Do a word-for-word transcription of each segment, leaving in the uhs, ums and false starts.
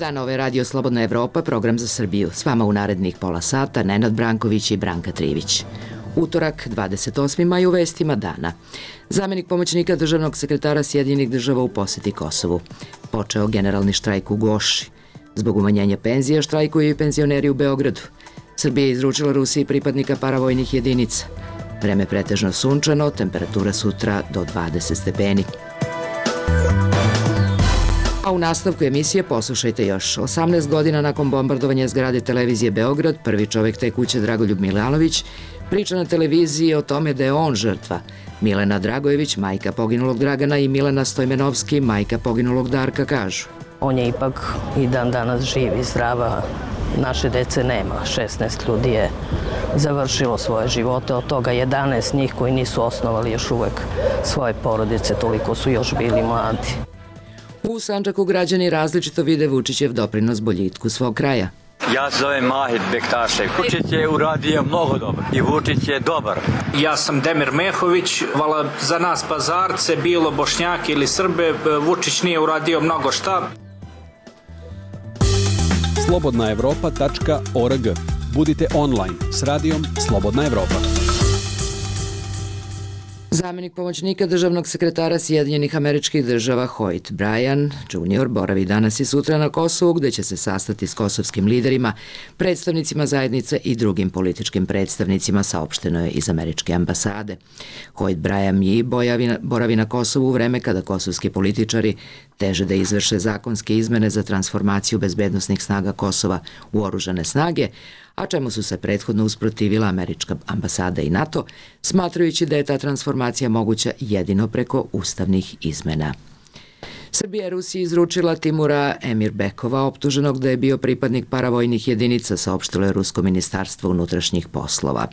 dan, ovo je Radio Slobodna Evropa, program za Srbiju. S vama u narednih pola sata Nenad Branković i Branka Trivić. Utorak, dvadeset osmi maj, u vestima dana. Zamenik pomoćnika državnog sekretara Sjedinjenih država u poseti Kosovu. Počeo generalni štrajk u Goši. Zbog umanjenja penzija štrajkuju i penzioneri u Beogradu. Srbija je izručila Rusiji pripadnika paravojnih jedinica. Vreme pretežno sunčano, temperatura sutra do dvadeset stepeni. A u nastavku emisije poslušajte još. osamnaest godina nakon bombardovanja zgrade televizije Beograd, prvi čovjek te kuće Dragoljub Milanović priča na televiziji o tome da je on žrtva. Milena Dragojević, majka poginulog Dragana, i Milena Stojmenovski, majka poginulog Darka, kažu: On je ipak i dan danas živ i zdrava. Naše dece nema. šesnaest ljudi je završilo svoje živote, od toga jedanaest njih koji nisu osnovali još uvek svoje porodice, toliko su još bili mladi. U Sandžaku građani različito vide Vučićev doprinos boljitku svog kraja. Ja se zovem Mahir Bektašev. Vučić je uradio mnogo dobro i Vučić je dobar. Ja sam Demir Mehović. Vala za nas Pazarce, bilo Bošnjaki ili Srbe, Vučić nije uradio mnogo šta. slobodna evropa tačka org. Budite online s radijom Slobodna Evropa. Zamenik pomoćnika državnog sekretara Sjedinjenih Američkih Država Hoyt Bryan junior boravi danas i sutra na Kosovu, gde će se sastati s kosovskim liderima, predstavnicima zajednice i drugim političkim predstavnicima, saopšteno je iz američke ambasade. Hoyt Bryan i boravi na Kosovu u vreme kada kosovski političari teže da izvrše zakonske izmene za transformaciju bezbednosnih snaga Kosova u oružane snage, a čemu su se prethodno usprotivila američka ambasada i NATO, smatrajući da je ta transformacija moguća jedino preko ustavnih izmena. Srbija je Rusiji izručila Timura Emirbekova, optuženog da je bio pripadnik paravojnih jedinica, saopštilo je Rusko ministarstvo unutrašnjih poslova.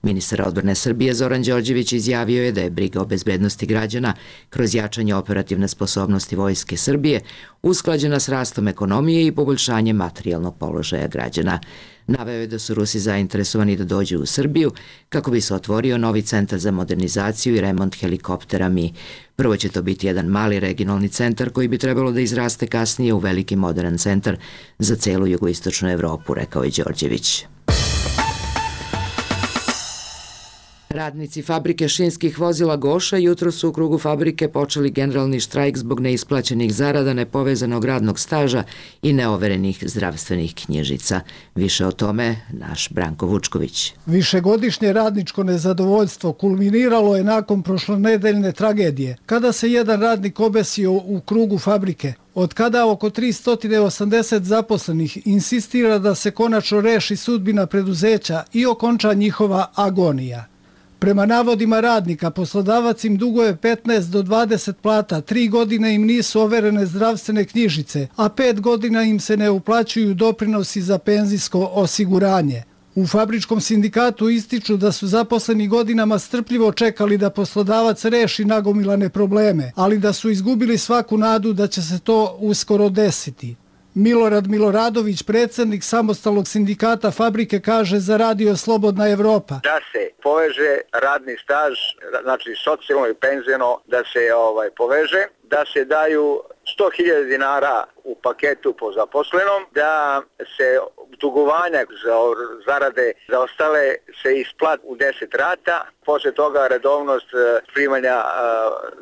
Ministar odbrane Srbije Zoran Đorđević izjavio je da je briga o bezbednosti građana kroz jačanje operativne sposobnosti Vojske Srbije usklađena s rastom ekonomije i poboljšanjem materijalnog položaja građana. Naveo je da su Rusi zainteresovani da dođu u Srbiju kako bi se otvorio novi centar za modernizaciju i remont helikoptera Mi. Prvo će to biti jedan mali regionalni centar koji bi trebalo da izraste kasnije u veliki modern centar za celu jugoistočnu Evropu, rekao je Đorđević. Radnici fabrike šinskih vozila Goša jutro su u krugu fabrike počeli generalni štrajk zbog neisplaćenih zarada, nepovezanog radnog staža i neoverenih zdravstvenih knjižica. Više o tome naš Branko Vučković. Višegodišnje radničko nezadovoljstvo kulminiralo je nakon prošlonedeljne tragedije, kada se jedan radnik obesio u krugu fabrike. Od kada oko tristo osamdeset zaposlenih insistira da se konačno reši sudbina preduzeća i okonča njihova agonija. Prema navodima radnika, poslodavac im duguje petnaest do dvadeset plata, tri godine im nisu overene zdravstvene knjižice, a pet godina im se ne uplaćuju doprinosi za penzijsko osiguranje. U fabričkom sindikatu ističu da su zaposleni godinama strpljivo čekali da poslodavac reši nagomilane probleme, ali da su izgubili svaku nadu da će se to uskoro desiti. Milorad Miloradović, predsjednik samostalnog sindikata fabrike, kaže za Radio Slobodna Evropa: Da se poveže radni staž, znači socijalno i penzijno, da se ovaj poveže, da se daju sto hiljada dinara u paketu po zaposlenom, da se dugovanja za zarade za ostale se isplati u deset rata, posle toga redovnost primanja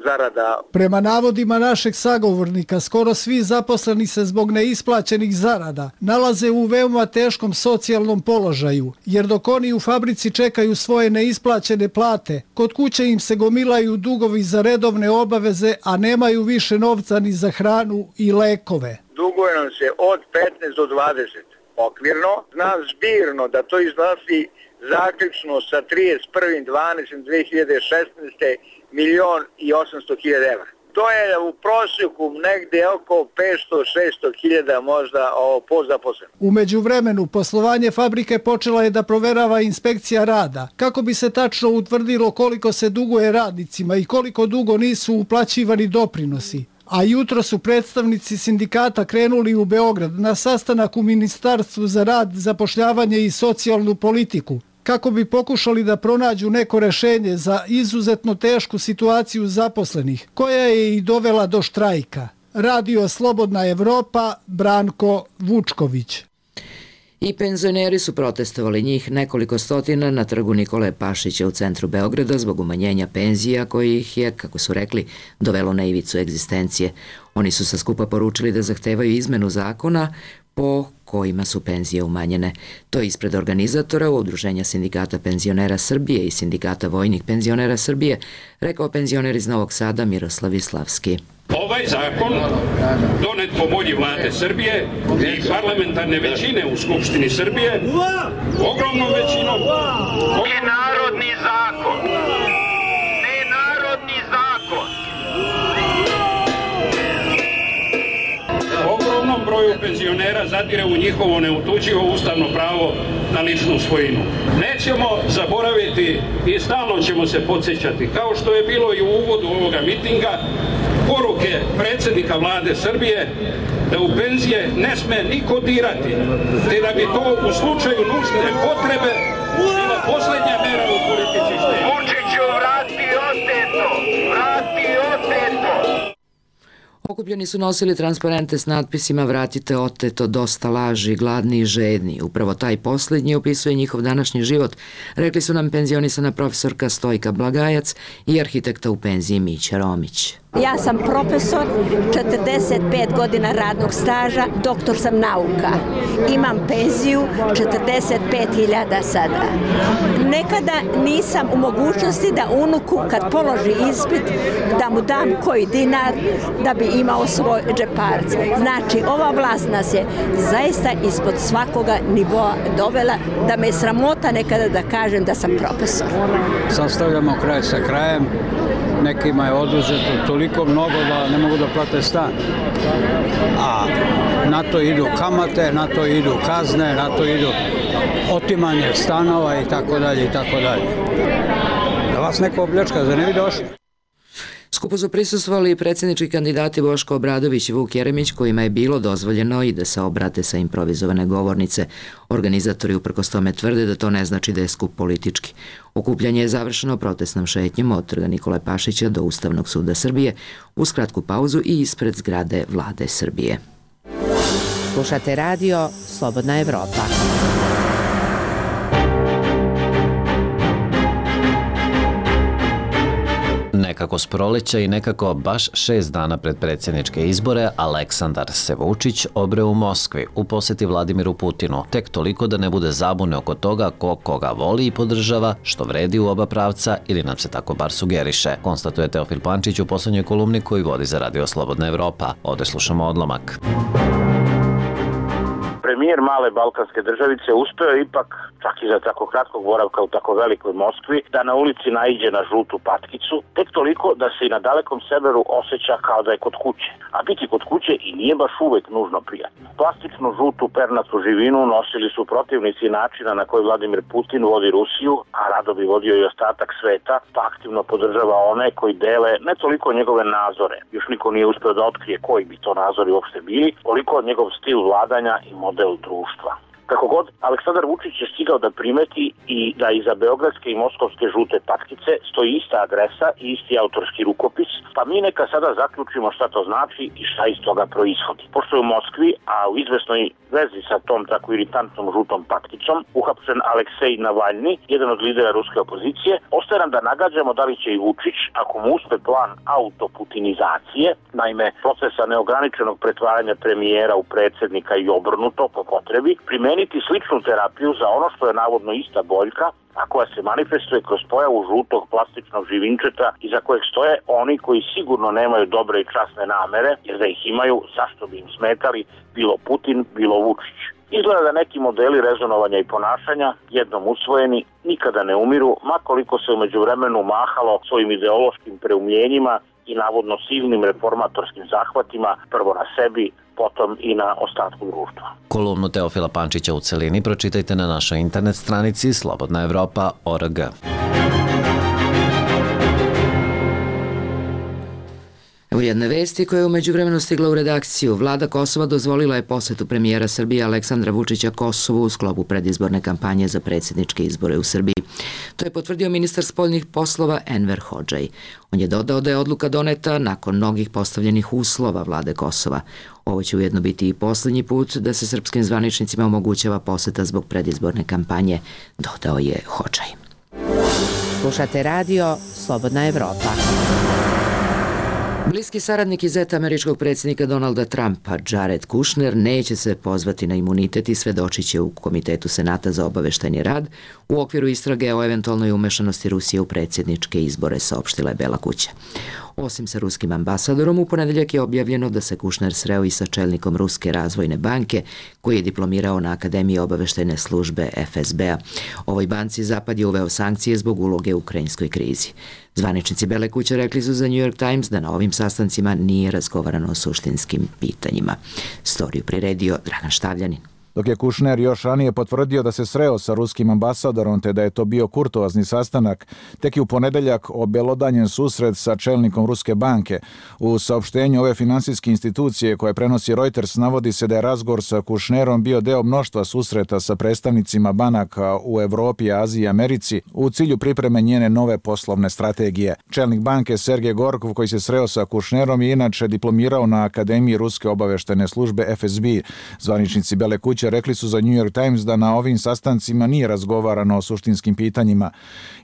zarada. Prema navodima našeg sagovornika, skoro svi zaposleni se zbog neisplaćenih zarada nalaze u veoma teškom socijalnom položaju, jer dok oni u fabrici čekaju svoje neisplaćene plate, kod kuće im se gomilaju dugovi za redovne obaveze, a nemaju više novca ni za hranu i lekove. Duguje nam se od petnaest do dvadeset. Okvirno, znam zbirno da to iznosi zaključno sa trideset prvog decembra dve hiljade šesnaeste. milion i osamsto hiljada evra. To je u prosjeku negde oko petsto do šesto hiljada možda po zaposlenom. U međuvremenu poslovanje fabrike počela je da proverava inspekcija rada, kako bi se tačno utvrdilo koliko se duguje radnicima i koliko dugo nisu uplaćivani doprinosi. A jutro su predstavnici sindikata krenuli u Beograd na sastanak u Ministarstvu za rad, zapošljavanje i socijalnu politiku, kako bi pokušali da pronađu neko rešenje za izuzetno tešku situaciju zaposlenih, koja je i dovela do štrajka. Radio Slobodna Evropa, Branko Vučković. I penzioneri su protestovali, njih nekoliko stotina, na trgu Nikole Pašića u centru Beograda zbog umanjenja penzija koji ih je, kako su rekli, dovelo na ivicu egzistencije. Oni su sa skupa poručili da zahtevaju izmenu zakona po kojima su penzije umanjene. To je ispred organizatora Udruženja sindikata penzionera Srbije i sindikata vojnih penzionera Srbije rekao penzioner iz Novog Sada Miroslav Islavski. Ovaj zakon, donet po volji vlade Srbije i parlamentarne većine u Skupštini Srbije, ogromnom većinom, je narodni zakon. Ne narodni zakon. Ogromnom broju penzionera zadire u njihovo neotuđivo ustavno pravo na ličnu svojinu. Nećemo zaboraviti i stalno ćemo se podsjećati, kao što je bilo i u uvodu ovoga mitinga, poruke predsjednika vlade Srbije da u penzije ne sme niko dirati, te da bi to u slučaju nužne potrebe bila poslednja mera u politici štednje. Vučiću, vrati oteto! Vrati oteto! Okupljeni su nosili transparente s natpisima "Vratite oteto, dosta laži, gladni i žedni". Upravo taj posljednji opisuje njihov današnji život, rekli su nam penzionisana profesorka Stojka Blagajac i arhitekta u penziji Mića Romić. Ja sam profesor, četrdeset pet godina radnog staža, doktor sam nauka. Imam penziju četrdeset pet hiljada sada. Nekada nisam u mogućnosti da unuku kad položi ispit da mu dam koji dinar da bi imao svoj džeparac. Znači, ova vlast nas je zaista ispod svakoga nivoa dovela da me je sramota nekada da kažem da sam profesor. Sastavljamo kraj sa krajem. Nekima je oduzeto toliko mnogo da ne mogu da plate stan. A na to idu kamate, na to idu kazne, na to idu otimanje stanova i tako dalje i tako dalje. Da vas neko opljačka, za ne bi došli. Skupu su prisustvovali i predsjednički kandidati Boško Obradović i Vuk Jeremić, kojima je bilo dozvoljeno i da se obrate sa improvizovane govornice. Organizatori uprkos tome tvrde da to ne znači da je skup politički. Okupljanje je završeno protestnom šetnjom od trga Nikole Pašića do Ustavnog suda Srbije uz kratku pauzu i ispred zgrade Vlade Srbije. Slušate radio Slobodna Evropa. Nekako s proleća i nekako baš šest dana pred predsjedničke izbore, Aleksandar se Vučić obreo u Moskvi u posjeti Vladimiru Putinu, tek toliko da ne bude zabune oko toga ko koga voli i podržava, što vredi u oba pravca ili nam se tako bar sugeriše, konstatuje Teofil Pančić u poslednjoj kolumni koji vodi za radio Slobodna Evropa. Ovde slušamo odlomak. Premijer male balkanske državice uspeo je ipak, čak i za tako kratkog boravka u tako velikoj Moskvi, da na ulici naiđe na žutu patkicu, tek toliko da se i na dalekom severu osjeća kao da je kod kuće. A biti kod kuće i nije baš uvek nužno prijatno. Plastičnu žutu pernatu živinu nosili su protivnici načina na koji Vladimir Putin vodi Rusiju, a rado bi vodio i ostatak sveta, pa aktivno podržava one koji dele ne toliko njegove nazore, još niko nije uspeo da otkrije koji bi to nazori uopšte bili, koliko njegov stil vladanja i model društva. Kako god, Aleksandar Vučić je stigao da primeti i da iza beogradske i moskovske žute patkice stoji ista adresa i isti autorski rukopis, pa mi neka sada zaključimo šta to znači i šta iz toga proishodi. Pošto je u Moskvi, a u izvesnoj vezi sa tom tako iritantnom žutom patkicom, uhapšen Aleksej Navalni, jedan od lidera ruske opozicije, ostaje nam da nagađamo da li će i Vučić, ako mu uspe plan autoputinizacije, naime procesa neograničenog pretvaranja premijera u predsjednika i obrnuto po potrebi, primeniti sličnu terapiju za ono što je navodno ista boljka, a koja se manifestuje kroz pojavu žutog plastičnog živinčeta iza kojeg stoje oni koji sigurno nemaju dobre i časne namere, jer da ih imaju, zašto bi im smetali, bilo Putin, bilo Vučić. Izgleda da neki modeli rezonovanja i ponašanja, jednom usvojeni, nikada ne umiru, makoliko se umeđu vremenu mahalo svojim ideološkim preumljenjima i navodno silnim reformatorskim zahvatima, prvo na sebi, potom i na ostatku društva. Kolumnu Teofila Pančića u celini pročitajte na našoj internet stranici slobodna evropa tačka org. Evo jedne vesti koja je umeđu vremenu stigla u redakciju. Vlada Kosova dozvolila je posetu premijera Srbije Aleksandra Vučića Kosovu u sklopu predizborne kampanje za predsjedničke izbore u Srbiji. To je potvrdio ministar spoljnih poslova Enver Hodžaj. On je dodao da je odluka doneta nakon mnogih postavljenih uslova vlade Kosova. Ovo će ujedno biti i posljednji put da se srpskim zvaničnicima omogućava poseta zbog predizborne kampanje, dodao je Hodžaj. Slušate radio Slobodna Evropa. Bliski saradnik i zet američkog predsjednika Donalda Trumpa, Jared Kushner, neće se pozvati na imunitet i svedočit će u Komitetu Senata za obaveštajni rad u okviru istrage o eventualnoj umešanosti Rusije u predsjedničke izbore, saopštila je Bela kuća. Osim sa ruskim ambasadorom, u ponedeljak je objavljeno da se Kushner sreo i sa čelnikom Ruske razvojne banke, koji je diplomirao na Akademiji obaveštajne službe F S B-a. Ovoj banci Zapad je uveo sankcije zbog uloge u ukrajinskoj krizi. Zvaničnici Bele kuće rekli su za New York Times da na ovim sastancima nije razgovarano o suštinskim pitanjima. Storiju priredio Dragan Štavljanin. Dok je Kushner još ranije potvrdio da se sreo sa ruskim ambasadorom te da je to bio kurtoazni sastanak, tek je u ponedeljak obelodanjen susret sa čelnikom Ruske banke. U saopštenju ove finansijske institucije koje prenosi Reuters navodi se da je razgovor sa Kushnerom bio deo mnoštva susreta sa predstavnicima banaka u Evropi, Aziji i Americi u cilju pripreme njene nove poslovne strategije. Čelnik banke Sergej Gorkov, koji se sreo sa Kushnerom, je inače diplomirao na Akademiji Ruske obaveštajne službe F S B. Zvaničnici Bele kuće rekli su za New York Times da na ovim sastancima nije razgovarano o suštinskim pitanjima.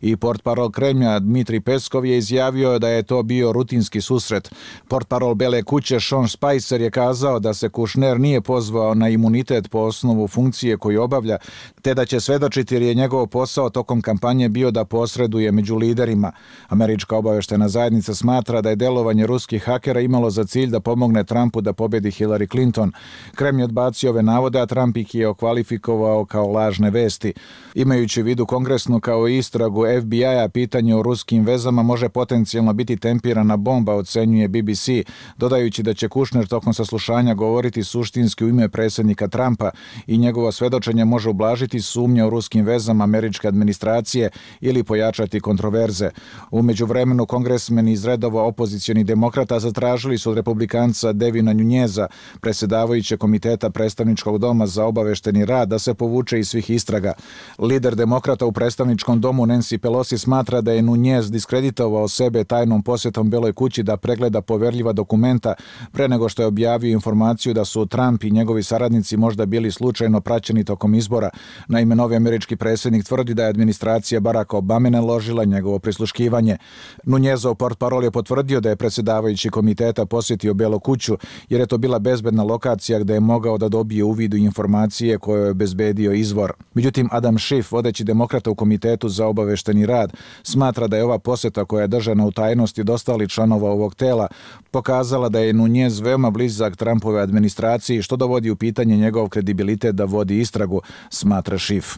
I portparol Kremlja Dmitri Peskov je izjavio da je to bio rutinski susret. Portparol Bele kuće Sean Spicer je kazao da se Kushner nije pozvao na imunitet po osnovu funkcije koju obavlja, te da će svedočiti jer je njegov posao tokom kampanje bio da posreduje među liderima. Američka obaveštajna zajednica smatra da je delovanje ruskih hakera imalo za cilj da pomogne Trumpu da pobedi Hillary Clinton. Kremlj odbacio ove navode, a Trump ih je okvalifikovao kao lažne vesti. Imajući u vidu kongresnu kao i istragu F B I-a, pitanje o ruskim vezama može potencijalno biti tempirana bomba, ocenjuje B B C, dodajući da će Kushner tokom saslušanja govoriti suštinski u ime predsjednika Trumpa i njegovo svedočenje može ublažiti sumnje o ruskim vezama američke administracije ili pojačati kontroverze. U međuvremenu kongresmeni iz redova opozicionih demokrata zatražili su od republikanca Devina Nuneza, predsjedavajućeg komiteta predstavničkog doma za obavešteni rad, da se povuče iz svih istraga. Lider demokrata u predstavničkom domu Nancy Pelosi smatra da je Nunez diskreditovao sebe tajnom posjetom Beloj kući da pregleda poverljiva dokumenta pre nego što je objavio informaciju da su Trump i njegovi saradnici možda bili slučajno praćeni tokom izbora. Naime, novi američki predsjednik tvrdi da je administracija Baracka Obame naložila njegovo prisluškivanje. Nunezov portparol je potvrdio da je predsjedavajući komiteta posjetio Belu kuću jer je to bila bezbedna lokacija gde je mogao da dobije uvid u informacije koje je obezbedio izvor. Međutim, Adam Schiff, vodeći demokrata u komitetu za obavešteni rad, smatra da je ova posjeta koja je držana u tajnosti od ostalih članova ovog tela pokazala da je Nunez veoma blizak Trumpove administraciji, što dovodi u pitanje njegov kredibilitet da vodi istragu, smatra Schiff.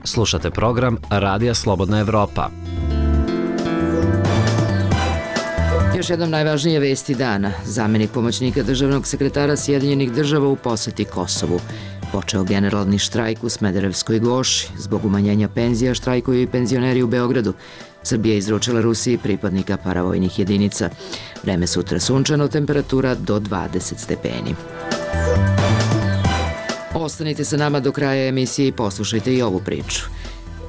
Slušate program Radija Slobodna Evropa. Još jednom najvažnije vesti dana. Zamenik pomoćnika državnog sekretara Sjedinjenih država u poseti Kosovu. Počeo generalni štrajk u Smederevskoj Goši. Zbog umanjenja penzija štrajkuju i penzioneri u Beogradu. Srbija izručila Rusiji pripadnika paravojnih jedinica. Vreme sutra sunčano, temperatura do dvadeset stepeni. Ostanite sa nama do kraja emisije i poslušajte i ovu priču.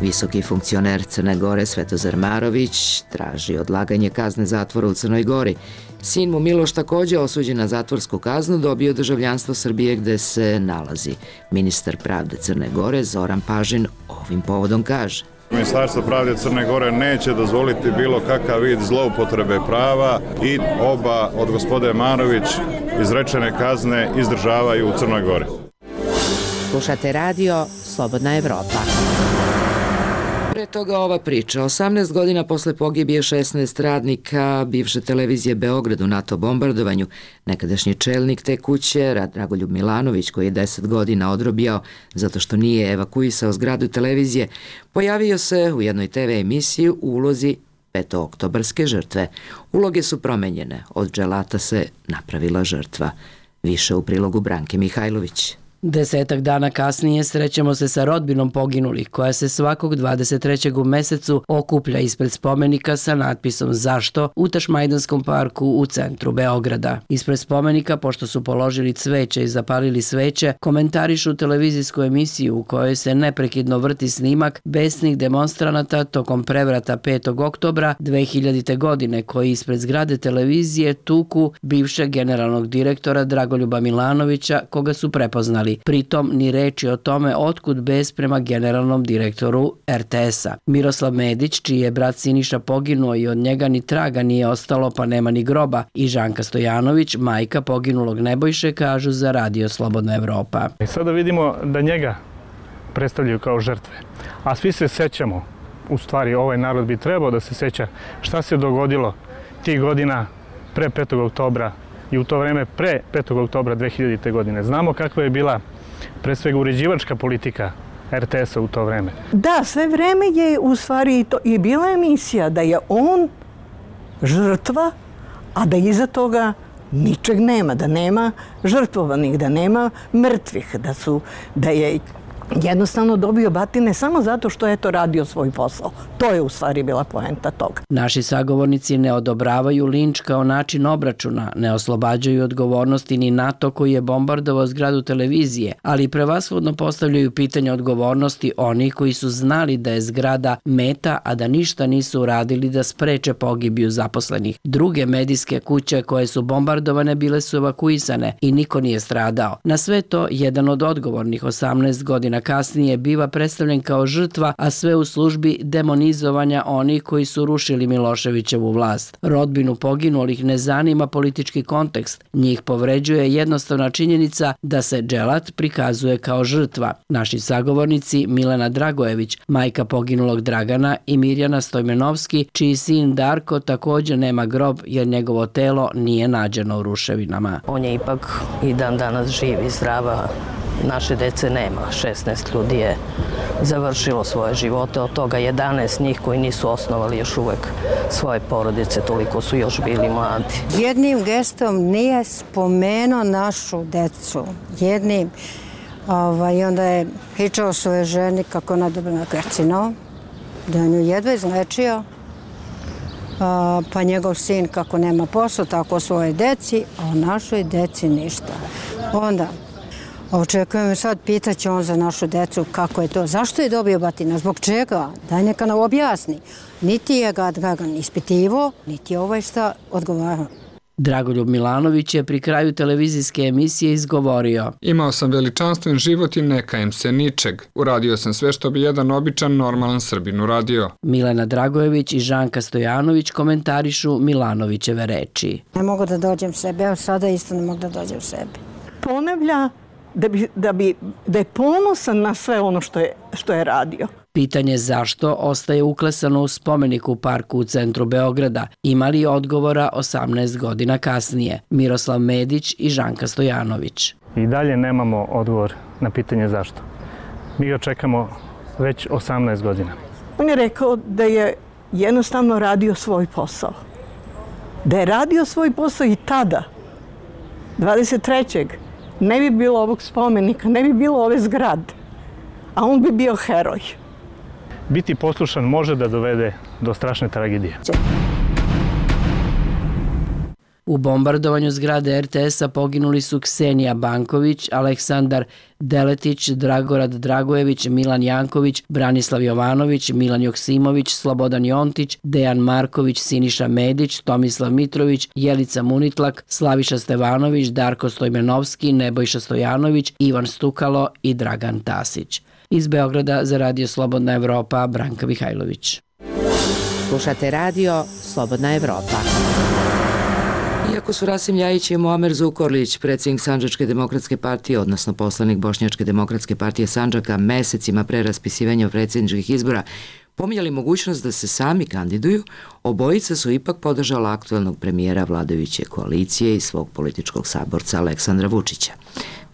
Visoki funkcioner Crne Gore Svetozar Marović traži odlaganje kazne zatvora u Crnoj Gori. Sin mu Miloš, takođe osuđen na zatvorsku kaznu, dobio državljanstvo Srbije gde se nalazi. Ministar pravde Crne Gore Zoran Pažin ovim povodom kaže: Ministarstvo pravde Crne Gore neće dozvoliti bilo kakav vid zloupotrebe prava i oba od gospode Marović izrečene kazne izdržavaju u Crnoj Gori. Slušate radio Slobodna Evropa. Pre toga ova priča. osamnaest godina posle pogibije šesnaest radnika bivše televizije Beograd u NATO bombardovanju, nekadašnji čelnik te kuće, Dragoljub Milanović, koji je deset godina odrobijao zato što nije evakuisao zgradu televizije, pojavio se u jednoj te ve emisiji u ulozi petooktobarske žrtve. Uloge su promenjene. Od dželata se napravila žrtva. Više u prilogu Branke Mihajlović. Desetak dana kasnije srećemo se sa rodbinom poginulih, koja se svakog dvadeset trećeg u mesecu okuplja ispred spomenika sa natpisom Zašto u Tašmajdanskom parku u centru Beograda. Ispred spomenika, pošto su položili cveće i zapalili sveće, komentarišu televizijsku emisiju u kojoj se neprekidno vrti snimak besnih demonstranata tokom prevrata petog oktobra dve hiljadite. godine, koji ispred zgrade televizije tuku bivšeg generalnog direktora Dragoljuba Milanovića, koga su prepoznali. Pritom ni reči o tome otkud bes prema generalnom direktoru er te esa. Miroslav Medić, čiji je brat Siniša poginuo i od njega ni traga nije ostalo pa nema ni groba, i Žanka Stojanović, majka poginulog Nebojše, kažu za Radio Slobodna Evropa. I sada vidimo da njega predstavljaju kao žrtve, a svi se sećamo, u stvari ovaj narod bi trebao da se seća šta se dogodilo tih godina pre petog oktobra i u to vreme pre petog oktobra dve hiljadite. godine. Znamo kakva je bila pre svega uređivačka politika er te esa u to vreme. Da, sve vreme je u stvari to i bila emisija da je on žrtva, a da iza toga ničeg nema, da nema žrtvovanih, da nema mrtvih, da su, da je jednostavno dobio batine samo zato što je to radio svoj posao. To je u stvari bila poenta toga. Naši sagovornici ne odobravaju linč kao način obračuna, ne oslobađaju odgovornosti ni NATO koji je bombardovao zgradu televizije, ali prevashodno postavljaju pitanje odgovornosti onih koji su znali da je zgrada meta, a da ništa nisu uradili da spreče pogibiju zaposlenih. Druge medijske kuće koje su bombardovane bile su evakuisane i niko nije stradao. Na sve to, jedan od odgovornih osamnaest godina kasnije biva predstavljen kao žrtva, a sve u službi demonizovanja onih koji su rušili Miloševićevu vlast. Rodbinu poginulih ne zanima politički kontekst. Njih povređuje jednostavna činjenica da se dželat prikazuje kao žrtva. Naši sagovornici Milena Dragojević, majka poginulog Dragana, i Mirjana Stojmenovski, čiji sin Darko također nema grob jer njegovo telo nije nađeno u ruševinama. On je ipak i dan danas živ i zdrava. Naše dece nema. šesnaest ljudi je završilo svoje živote, od toga jedanaest njih koji nisu osnovali još uvek svoje porodice, toliko su još bili mladi. Jednim gestom nije spomenuo našu decu. Jednim. Ovaj, onda je pričao svoje ženi kako ona dobila na karcinom, da je nju jedva izlečio, a, pa njegov sin kako nema posao, tako svoje deci, a o našoj deci ništa. Onda očekujem sad, pitaće on za našu decu kako je to, zašto je dobio batina, zbog čega, daj neka nam objasni. Niti je ga Dragan ispitivo, niti je ovaj šta odgovarao. Dragoljub Milanović je pri kraju televizijske emisije izgovorio: Imao sam veličanstven život i ne kajem se ničeg. Uradio sam sve što bi jedan običan, normalan Srbin uradio. Milena Dragojević i Žanka Stojanović komentarišu Milanovićeve reči. Ne mogu da dođem sebe, evo sada isto ne mogu da dođem sebe. Ponavlja da, bi, da, bi, da je ponosan na sve ono što je, što je radio. Pitanje zašto ostaje uklesano u spomeniku u parku u centru Beograda. Imali odgovora osamnaest godina kasnije. Miroslav Medić i Žanka Stojanović. I dalje nemamo odgovor na pitanje zašto. Mi ga čekamo već osamnaest godina. On je rekao da je jednostavno radio svoj posao. Da je radio svoj posao i tada, dvadeset trećeg ne bi bilo ovog spomenika, ne bi bilo ove zgrade, a on bi bio heroj. Biti poslušan može da dovede do strašne tragedije. U bombardovanju zgrade er te esa poginuli su Ksenija Banković, Aleksandar Deletić, Dragorad Dragojević, Milan Janković, Branislav Jovanović, Milan Joksimović, Slobodan Jontić, Dejan Marković, Siniša Medić, Tomislav Mitrović, Jelica Munitlak, Slaviša Stevanović, Darko Stojmenovski, Nebojša Stojanović, Ivan Stukalo i Dragan Tasić. Iz Beograda za Radio Slobodna Evropa, Branka Mihajlović. Slušate Radio Slobodna Evropa. Iako su Rasim Ljajić i Muamer Zukorlić, predsjednik Sandžačke demokratske partije, odnosno poslanik Bošnjačke demokratske partije Sandžaka, mesecima pre raspisivanja predsjedničkih izbora pominjali mogućnost da se sami kandiduju, obojica su ipak podržala aktuelnog premijera vladajuće koalicije i svog političkog saborca Aleksandra Vučića.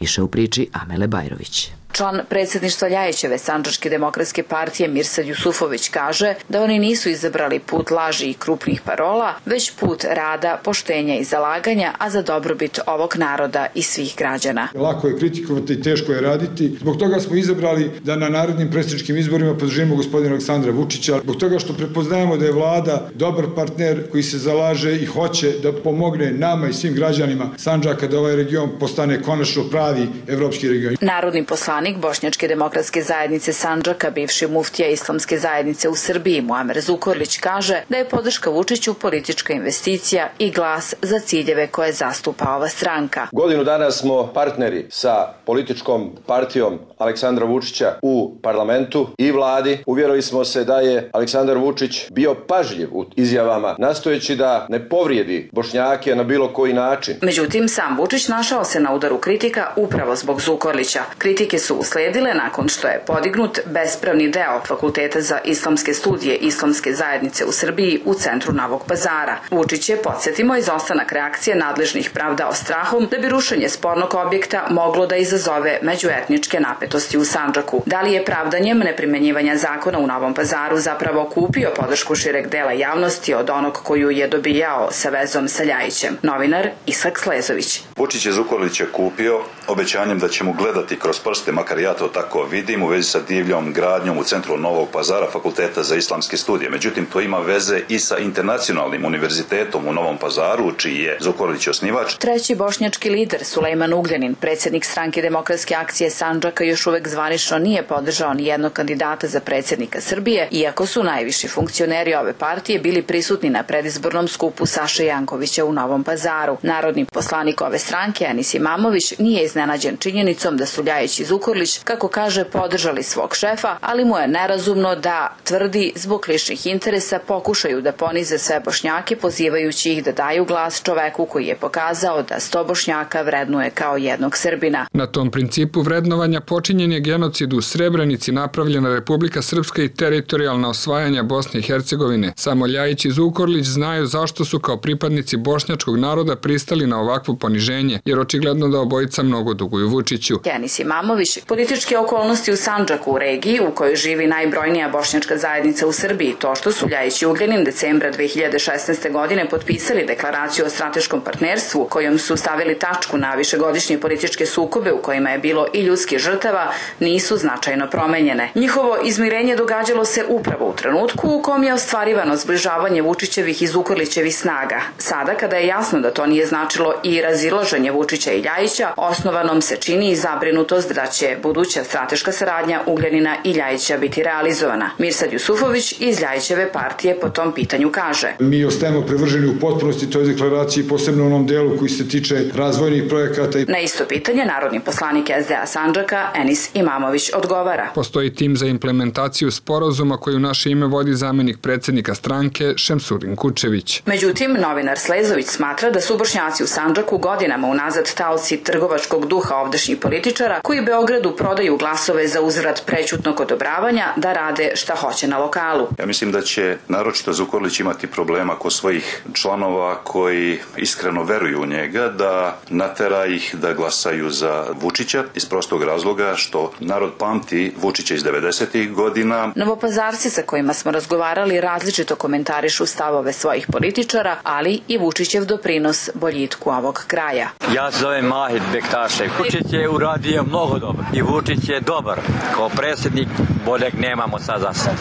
Više u priči Amele Bajrović. Član predsjedništva Ljajićeve Sandžačke demokratske partije Mirsad Jusufović kaže da oni nisu izabrali put laži i krupnih parola, već put rada, poštenja i zalaganja, a za dobrobit ovog naroda i svih građana. Lako je kritikovati i teško je raditi. Zbog toga smo izabrali da na narednim predsjedničkim izborima podržimo gospodina Aleksandra Vučića. Zbog toga što prepoznajemo da je vlada dobar partner koji se zalaže i hoće da pomogne nama i svim građanima Sandžaka da ovaj region postane konačno pravi evropski region. Narodni poslanik Bošnjačke demokratske zajednice Sandžaka, bivši muftija Islamske zajednice u Srbiji Muamer Zukorlić kaže da je podrška Vučiću politička investicija i glas za ciljeve koje zastupa ova stranka. Godinu dana smo partneri sa političkom partijom Aleksandra Vučića u parlamentu i vladi. Uvjerili smo se da je Aleksandar Vučić bio pažljiv u izjavama, nastojeći da ne povrijedi Bošnjake na bilo koji način. Međutim, sam Vučić našao se na udaru kritika upravo zbog Zukorlića. Kritike su usledile nakon što je podignut bespravni deo Fakulteta za islamske studije Islamske zajednice u Srbiji u centru Novog Pazara. Vučić je, podsjetimo, izostanak reakcije nadležnih pravdao strahom da bi rušenje spornog objekta moglo da izazove međuetničke napetosti u Sandžaku. Da li je pravdanjem neprimenjivanja zakona u Novom Pazaru zapravo kupio podršku šireg dela javnosti od onog koju je dobijao sa vezom sa Ljajićem? Novinar Ishak Slezović. Vučić je Zukorlića kupio obećanjem da će mu gledati kroz prste, makar ja to tako vidim, u vezi sa divljom gradnjom u centru Novog Pazara Fakulteta za islamske studije. Međutim, to ima veze i sa internacionalnim univerzitetom u Novom Pazaru, čiji je Zukorlić osnivač. Treći bošnjački lider Sulejman Ugljanin, predsjednik Stranke demokratske akcije Sandžaka, još uvek zvanično nije podržao ni jednog kandidata za predsjednika Srbije, iako su najviši funkcioneri ove partije bili prisutni na predizbornom skupu Saše Jankovića u Novom Pazaru. Narodni poslanik ove stranke, Enis Imamović, nije iznenađen činjenicom da su Ljajić i Zukorlić, kako kaže, podržali svog šefa, ali mu je nerazumno da tvrdi zbog ličnih interesa pokušaju da ponize sve Bošnjake, pozivajući ih da daju glas čoveku koji je pokazao da sto Bošnjaka vrednuje kao jednog Srbina. Na tom principu vrednovanja počinjen je genocid u Srebrenici, napravljena Republika Srpska i teritorijalna osvajanja Bosne i Hercegovine. Samo Ljajić i Zukorlić znaju zašto su kao pripadnici bošnjačkog naroda pristali na ovakvo poniženje, jer očigledno da obojica mnogo duguju Vučiću. Enis Imamović, političke okolnosti u Sandžaku, u regiji u kojoj živi najbrojnija bošnjačka zajednica u Srbiji, to što su Ljajić i Ugljanin decembra dve hiljade šesnaeste. godine potpisali deklaraciju o strateškom partnerstvu, kojom su stavili tačku na višegodišnje političke sukobe u kojima je bilo i ljudskih žrtava, nisu značajno promenjene. Njihovo izmirenje događalo se upravo u trenutku u kom je ostvarivano zbližavanje Vučićevih i Zukorlićevih snaga. Sada, kada je jasno da to nije značilo i razilaženje Vučića i Ljajića, osnovanom se čini i zabrinutost da će buduća strateška saradnja Ugljanina i Ljajića biti realizovana. Mirsad Jusufović iz Ljajićeve partije po tom pitanju kaže: Mi ostajemo privrženi u potpunosti toj deklaraciji, posebno u onom delu koji se tiče razvojnih projekata. Na isto pitanje narodni poslanik S D A Sandžaka Enis Imamović odgovara: Postoji tim za implementaciju sporazuma koji u naše ime vodi zamenik predsjednika stranke Šemsurin Kučević. Međutim, novinar Slezović smatra da su Bošnjaci u Sandžaku godinama unazad taoci trgovačkog duha ovdašnjih političara koji Beogradu prodaju glasove za uzvrat prećutnog odobravanja da rade šta hoće na lokalu. Ja mislim da će naročito Zukorlić imati problema kod svojih članova koji iskreno veruju u njega, da natera ih da glasaju za Vučića iz prostog razloga što narod pamti Vučića iz devedesetih godina. Novopazarci sa kojima smo razgovarali različito komentarišu stavove svojih političara, ali i Vučićev doprinos boljitku ovog kraja. Ja se zovem Mahid Bektašev. Vučić je uradio mnogo dobro i Vučić je dobar. Kao predsjednik boljeg nemamo sad za sad.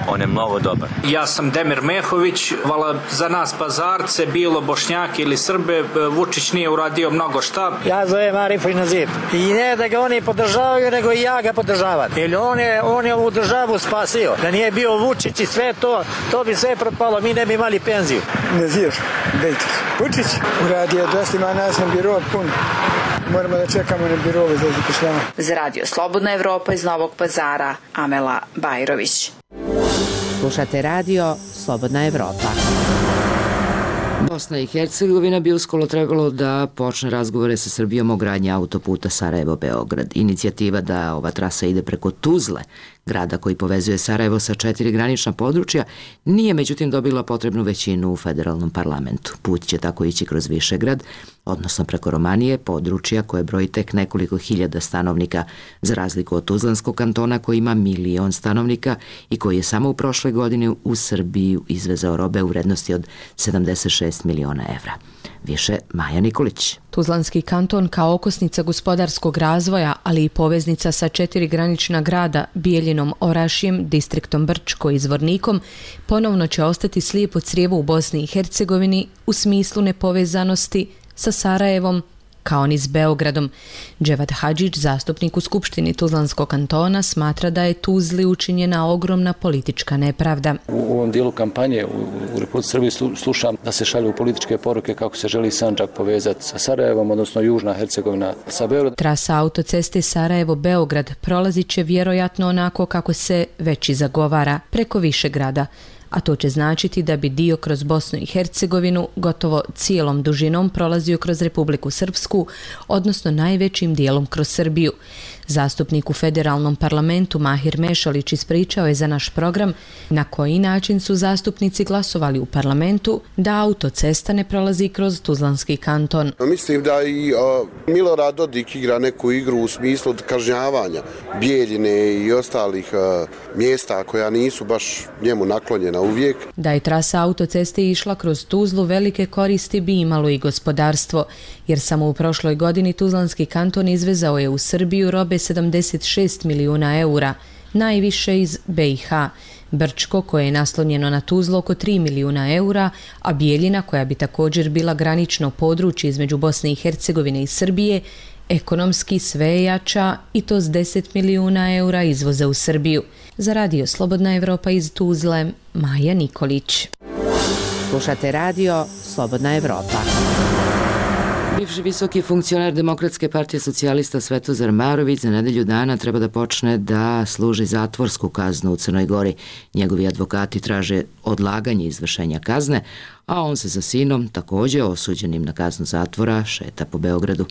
On je mnogo dobar. Ja sam Demir Mehović. Vala za nas Pazarce, bilo Bošnjake ili Srbe, Vučić nije uradio mnogo šta. Ja zovem Arif Nazir. I ne da ga oni podržavaju, nego i ja ga podržavam. Jer on je, on je ovu državu spasio. Da nije bio Vučić i sve to, to bi sve propalo. Mi ne bi imali penziju. Nazir, Bejtik. Vučić uradio dosta, ima nas na biro pun. Moramo da čekamo na birove za zapošljavanje. Za Radio Slobodna Evropa iz Novog Pazara, Amela Bajrović. Slušate radio Slobodna Evropa. Bosna i Hercegovina bi uskoro trebalo da počne razgovore sa Srbijom o gradnji autoputa Sarajevo-Beograd. Inicijativa da ova trasa ide preko Tuzle, grada koji povezuje Sarajevo sa četiri granična područja, nije međutim dobila potrebnu većinu u federalnom parlamentu. Put će tako ići kroz Višegrad, odnosno preko Romanije, područja koje broji tek nekoliko hiljada stanovnika, za razliku od Tuzlanskog kantona koji ima milion stanovnika i koji je samo u prošloj godini u Srbiju izvezao robe u vrednosti od sedamdeset šest miliona evra. Više Maja Nikolić. Tuzlanski kanton kao okosnica gospodarskog razvoja, ali i poveznica sa četiri granična grada, Bijeljinom, Orašjem, distriktom Brčko i Zvornikom, ponovno će ostati slijepo crijevo u Bosni i Hercegovini u smislu nepovezanosti sa Sarajevom, kao ni s Beogradom. Dževad Hadžić, zastupnik u Skupštini Tuzlanskog kantona, smatra da je Tuzli učinjena ogromna politička nepravda. U ovom dijelu kampanje u Republici Srbiji slušam da se šalju političke poruke kako se želi Sandžak povezati sa Sarajevom, odnosno Južna Hercegovina sa Beogradom. Trasa autoceste Sarajevo-Beograd prolazit će vjerojatno onako kako se već i zagovara, preko Višegrada, a to će značiti da bi dio kroz Bosnu i Hercegovinu gotovo cijelom dužinom prolazio kroz Republiku Srpsku, odnosno najvećim dijelom kroz Srbiju. Zastupnik u federalnom parlamentu Mahir Mešalić ispričao je za naš program na koji način su zastupnici glasovali u parlamentu da autocesta ne prolazi kroz Tuzlanski kanton. Mislim da i uh, Milorad Dodik igra neku igru u smislu kažnjavanja Bijeljine i ostalih uh, mjesta koja nisu baš njemu naklonjena uvijek. Da je trasa autoceste išla kroz Tuzlu, velike koristi bi imalo i gospodarstvo, jer samo u prošloj godini Tuzlanski kanton izvezao je u Srbiju robe sedamdeset šest milijuna eura, najviše iz be i ha. Brčko, koje je naslonjeno na Tuzlu, oko tri milijuna eura, a Bijeljina, koja bi također bila granično područje između Bosne i Hercegovine i Srbije, ekonomski sve jača i to s deset milijuna eura izvoza u Srbiju. Za radio Slobodna Evropa iz Tuzle, Maja Nikolić. Slušate radio Slobodna Evropa. Bivši visoki funkcioner Demokratske partije socijalista Svetozar Marović za nedelju dana treba da počne da služi zatvorsku kaznu u Crnoj Gori. Njegovi advokati traže odlaganje izvršenja kazne, a on se sa sinom, također osuđenim na kaznu zatvora, šeta po Beogradu.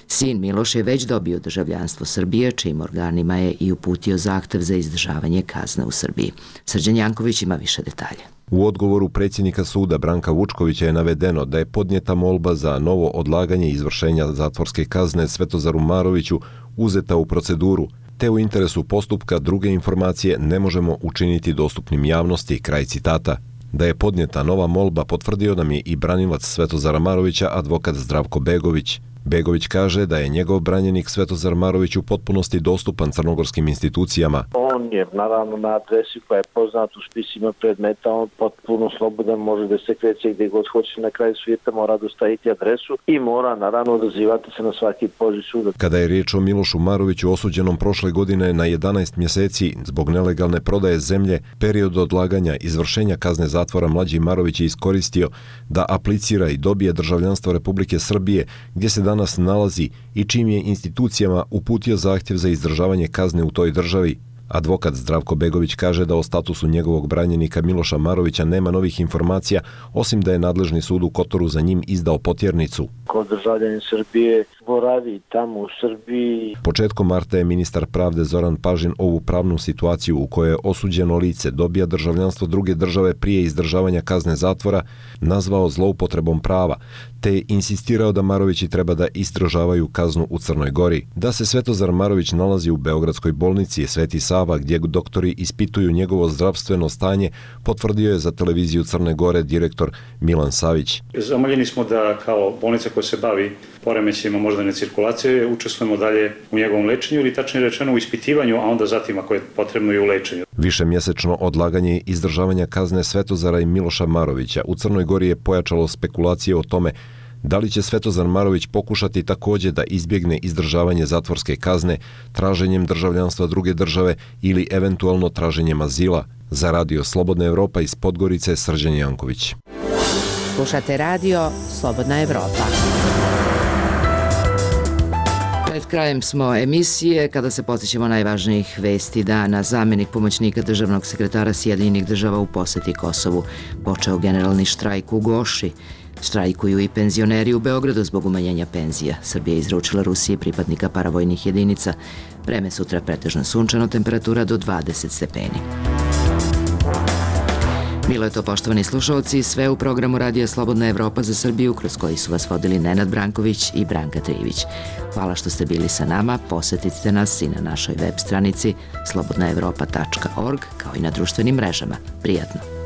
Sin Miloš je već dobio državljanstvo Srbije, čijim organima je i uputio zahtev za izdržavanje kazne u Srbiji. Srđan Janković ima više detalje. U odgovoru predsjednika suda Branka Vučkovića je navedeno da je podnijeta molba za novo odlaganje izvršenja zatvorske kazne Svetozaru Maroviću uzeta u proceduru, te u interesu postupka druge informacije ne možemo učiniti dostupnim javnosti, kraj citata. Da je podnijeta nova molba potvrdio nam je i branilac Svetozara Marovića, advokat Zdravko Begović. Begović kaže da je njegov branjenik Svetozar Marović u potpunosti dostupan crnogorskim institucijama. On je naravno na adresi koja je poznat u spisima predmeta, on potpuno slobodan, može da se kreće gdje god hoće, na kraju svijeta mora dostaviti adresu i mora naravno odazivati se na svaki poziv suda. Kada je riječ o Milošu Maroviću osuđenom prošle godine na jedanaest mjeseci zbog nelegalne prodaje zemlje, period odlaganja izvršenja kazne zatvora mlađi Marović je iskoristio da aplicira i dobije državljanstvo Republike Srbije, gdje se danas nalazi i čim je institucijama uputio zahtjev za izdržavanje kazne u toj državi. Advokat Zdravko Begović kaže da o statusu njegovog branjenika Miloša Marovića nema novih informacija, osim da je nadležni sud u Kotoru za njim izdao potjernicu. Ko državljanin Srbije boravi tamo u Srbiji. Početkom marta je ministar pravde Zoran Pažin ovu pravnu situaciju u kojoj osuđeno lice dobija državljanstvo druge države prije izdržavanja kazne zatvora nazvao zloupotrebom prava, te je insistirao da Marovići treba da izdržavaju kaznu u Crnoj Gori. Da se Svetozar Marović nalazi u beogradskoj bolnici Sveti Sava, gdje doktori ispituju njegovo zdravstveno stanje, potvrdio je za televiziju Crne Gore direktor Milan Savić. Zamoljeni smo da kao bolnica koja se bavi poremećajima moždane cirkulacije učestvujemo dalje u njegovom lečenju ili tačnije rečeno u ispitivanju, a onda zatim ako je potrebno i u lečenju. Višemjesečno odlaganje izdržavanja kazne Svetozara i Miloša Marovića u Crnoj Gori je pojačalo spekulacije o tome da li će Svetozar Marović pokušati također da izbjegne izdržavanje zatvorske kazne traženjem državljanstva druge države ili eventualno traženjem azila. Za radio Slobodna Evropa iz Podgorice, Srđan Janković. Slušate radio Slobodna Evropa. Pred krajem smo emisije kada se podsjećamo najvažnijih vesti dana. Zamjenik pomoćnika državnog sekretara Sjedinjenih država u posjeti Kosovu. Počeo generalni štrajk u Goši. Štrajkuju i penzioneri u Beogradu zbog umanjenja penzija. Srbija je izručila Rusiji pripadnika paravojnih jedinica. Vreme sutra pretežno sunčano, temperatura do dvadeset stepeni. Bilo je to, poštovani slušalci, sve u programu Radija Slobodna Evropa za Srbiju, kroz koji su vas vodili Nenad Branković i Branka Trivić. Hvala što ste bili sa nama, posetite nas i na našoj web stranici slobodna evropa tačka org, kao i na društvenim mrežama. Prijatno!